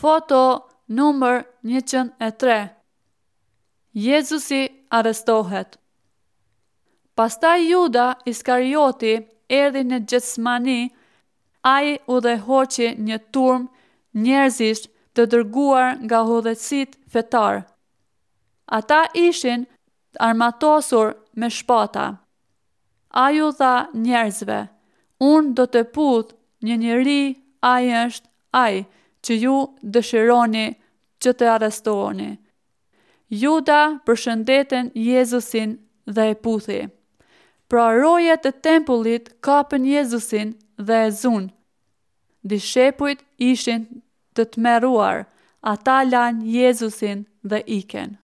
Foto numër 103 Jezusi arrestohet. Pastaj Juda Iskarioti erdhi në Gjetsemani, ai udhëhoqi një turmë njerëzish të dërguar nga udhëheqësit fetarë. Ata ishin të armatosur me shpata. Ai u tha njerëzve, Unë do të puth një njeri, ai është ai që ju dëshironi që të arrestoni. Juda përshëndeti Jezusin dhe e puthi. Pra rojet e tempullit kapën Jezusin dhe e zunë. Dishepujt ishin të tmerruar, ata lanë Jezusin dhe ikën.